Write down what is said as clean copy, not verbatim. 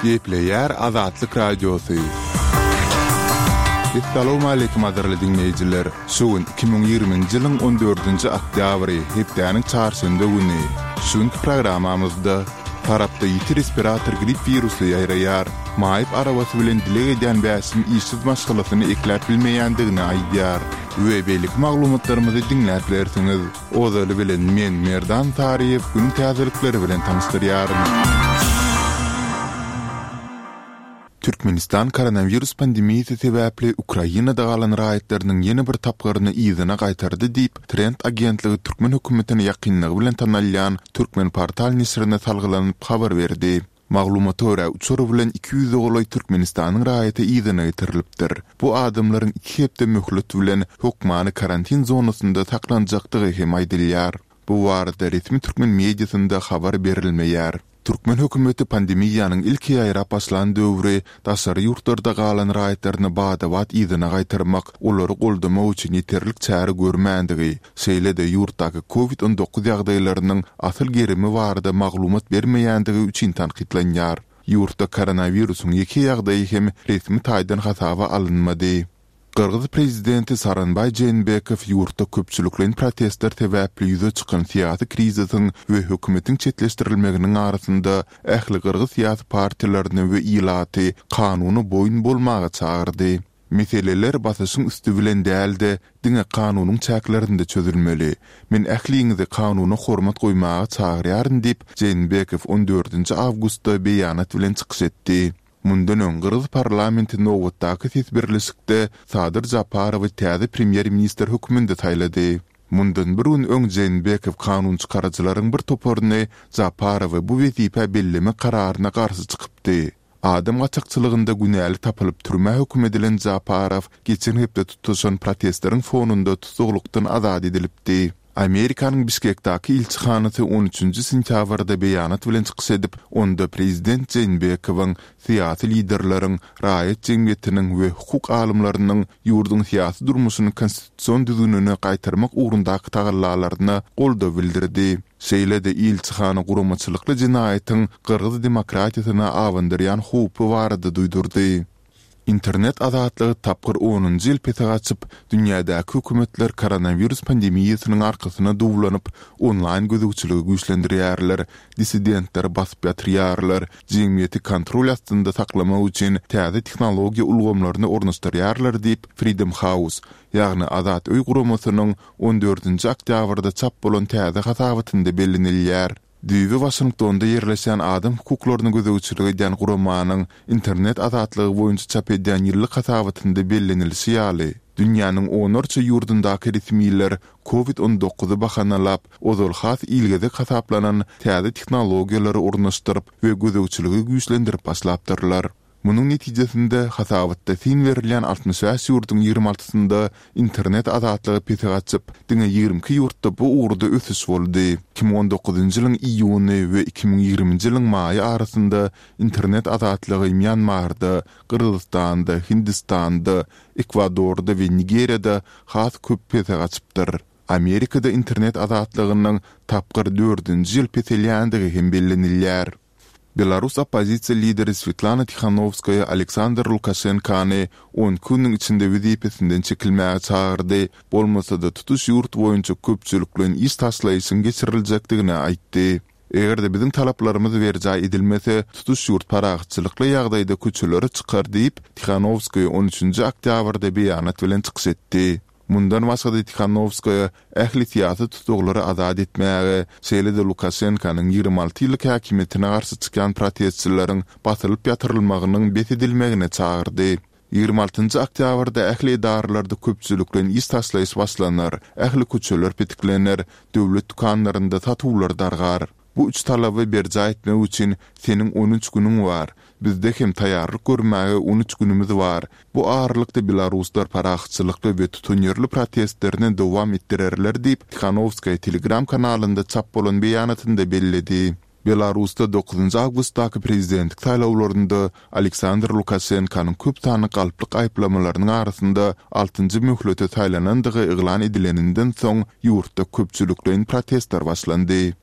Gepleýär Azatlyk Radiosy. Essalawmaleýkim gadyrly diňleýjiler! Şu gün 2020-nji ýylyň on dördünji oktýabry, hepdäniň çarşenbe güni. Şu günki programmamyzda Farapda ýiti respirator grip wirusy ýaýraýar. Maýyp arabasy bilen dileg edýän Bäşim işsiz maşgalasyny ekläp bilmeýändigini aýdýar. We beýleki maglumatlarymyzy diňläp bilersiňiz. Ozaly bilen men Merdan Saryýew günüň täzelikleri bilen tanyşdyrýaryn. Türkmenistan koronawirus pandemiýasy sebäpli Ukrainada galan raýatlarynyň ýene bir tapgyryny yzyna gaýtardy diýip, Trend agentligi türkmen hökümetine ýakynlygy bilen tanalýan Turkmenportal neşirine salgylanyp habar berdi. Maglumata görä, uçar bilen 200-e golaý Türkmenistanyň raýaty yzyna getirilipdir. Bu adamlaryň iki hepde möhlet bilen hökmany karantin zonasynda saklanjakdygy hem aýdylýar. Bu barada resmi türkmen mediasynda habar berilmeýär. Türkmen hökümeti pandemiýanyň ilki ýaýrap başlan döwri daşary ýurtlarda galan raýatlaryny bada-bat yzyna gaýtarmak, olary goldamak üçin ýeterlik çäre görmändigi, şeýle-de ýurtdaky Covid 19 ýagdaýlarynyň asyl gerimi barada maglumat bermeýändigi üçin tankytlanýar. Ýurtda koronawirusyň ýeke ýagdaýy hem resmi taýdan hasaba alynmady. Gyrgyz prezidenti Sooronbaý Jeenbekow ýurtda köpçülikleýin protestler sebäpli ýüze çykan syýasy krizisiň we hökümetiň çetleşdirilmeginiň arasynda ähli gyrgyz syýasy partiýalaryny we ilaty kanuna boýun bolmaga çagyrdy. Meseleler basyşyň üsti bilen däl-de, diňe kanunyň çäklerinde çözülmeli. Men ähliňizi kanuna hormat goýmaga çagyrýaryn diýip, Jeenbekow on dördünji awgustda beýanat bilen çykyş etdi. Mundan öň gyrgyz parlamenti nobatdaky ses berlişikde Sadyr Japarowy täze premýer-ministr hökmünde saýlady. Mundan bir gün öň Jeenbekow kanunçykaryjylaryň bir toparyny Japarowy bu wezipä bellemek kararyna garşy çykypdy. Adam gaçakçylygynda günäli tapylyp türmä höküm edilen Japarow geçen hepde tutaşan protestleriň fonunda tussaglykdan azat edilipdi. Amerikanyň Bişkekdaky ilçihanasy on üçünji sentýabrda beýanat bilen çykyş edip, onda prezident Jeenbekowyň, syýasy liderleriň, raýat jemgyýetiniň we hukuk alymlarynyň ýurduň syýasy durmuşyny konstitusion düzgünine gaýtarmak ugrundaky tagallalaryna goldaw bildirdi. Şeýle-de ilçihana guramaçylykly jenaýatyň gyrgyz demokratiýasyna abandyrýan howpy barada duýdurdy. Internet azatlygy tapgyr onunjy ýyl pese gaçyp, dünýädäki hökümetler koronawirus pandemiýasynyň arkasyna duwlanyp, onlaýn gözegçiligi güýçlendirýärler, dissidentleri basyp ýatyrýarlar, jemgyýeti kontrol astynda saklamak üçin täze tehnologiýa ulgamlaryny ornaşdyrýarlar diýip, Freedom House, ýagny Azat öý guramasynyň on dördünji oktýabrda çap bolan täze hasabatynda bellenilýär. Düýbi Waşingtonda ýerleşýän adam hukuklaryna gözegçilik edýän guramanyň internet azatlygy boýunça çap edýän ýyllyk hasabatynda bellenilişi ýaly, dünýäniň onlarça ýurdundaky resmiler Covid on dokuzy bahanalap, ozal has ilgezek hasaplanan täze tehnologiýalary ornaşdyryp we gözegçiligi güýçlendirip başlapdyrlar. Munuň netijesinde, hasabatda syn berilýän 65 ýurduň ýigrimi altysynda internet azatlygy pese gaçyp, diňe 22 ýurtda bu ugurda ösüş boldy. 2019-njy ýylyň iýuny we 2020-nji ýylyň maýy arasynda internet azatlygy Mýanmarda, Gyrgyzystanda, Hindistanda, Ekwadorda we Nigeriýada has köp pese gaçypdyr. Amerikada internet azatlygynyň tapgyr dördünji ýyl peselýändigi hem bellenilýär. Belarus oppozisiýa lideri Swetlana Tihanowskaýa Aleksandr Lukaşenkany on iki günüň içinde wezipesinden çekilmäge çagyrdy, bolmasa-da tutuş ýurt boýunça köpçülikleýin iş taşlaýyşyň geçiriljekdigini aýtdy. Eger-de biziň talaplarymyz berjaý edilmese, tutuş ýurt parahatçylykly ýagdaýda köçelere çykar diýip, Tihanowskaýa on üçünji oktýabrda beýanat bilen çykyş etdi. Mundan başga-da Tihanowskaýa ähli syýasy tussaglary azat etmäge, şeýle-de Lukaşenkanyň 26 ýyllyk häkimiýetine garşy çykýan protestçileriň basylyp ýatyrylmagynyň bes edilmegine çagyrdy. 26-njy oktýabrda ähli edaralarda köpçülikleýin iş taşlaýyş başlanar, ähli köçeler petiklener, döwlet dükanlarynda satuwlar dargar. Bu üç talaby berjaý etmek üçin seniň on üç günüň bar. Bizde hem taýýarlyk görmäge on üç günümiz bar. Bu aralykda belaruslar parahatçylykly we tutanýerli protestlerini dowam etdirerler diýip, Tihanowskaýa Telegram kanalynda çap bolan beýanatynda belledi. Belarusda dokuzynjy awgustdaky prezidentlik saýlawlarynda Aleksandr Lukaşenkanyň köp sanly galplyk aýyplamalarynyň arasynda altynjy möhlete saýlanandygy yglan edileninden soň ýurtda köpçülikleýin protestler başlandy.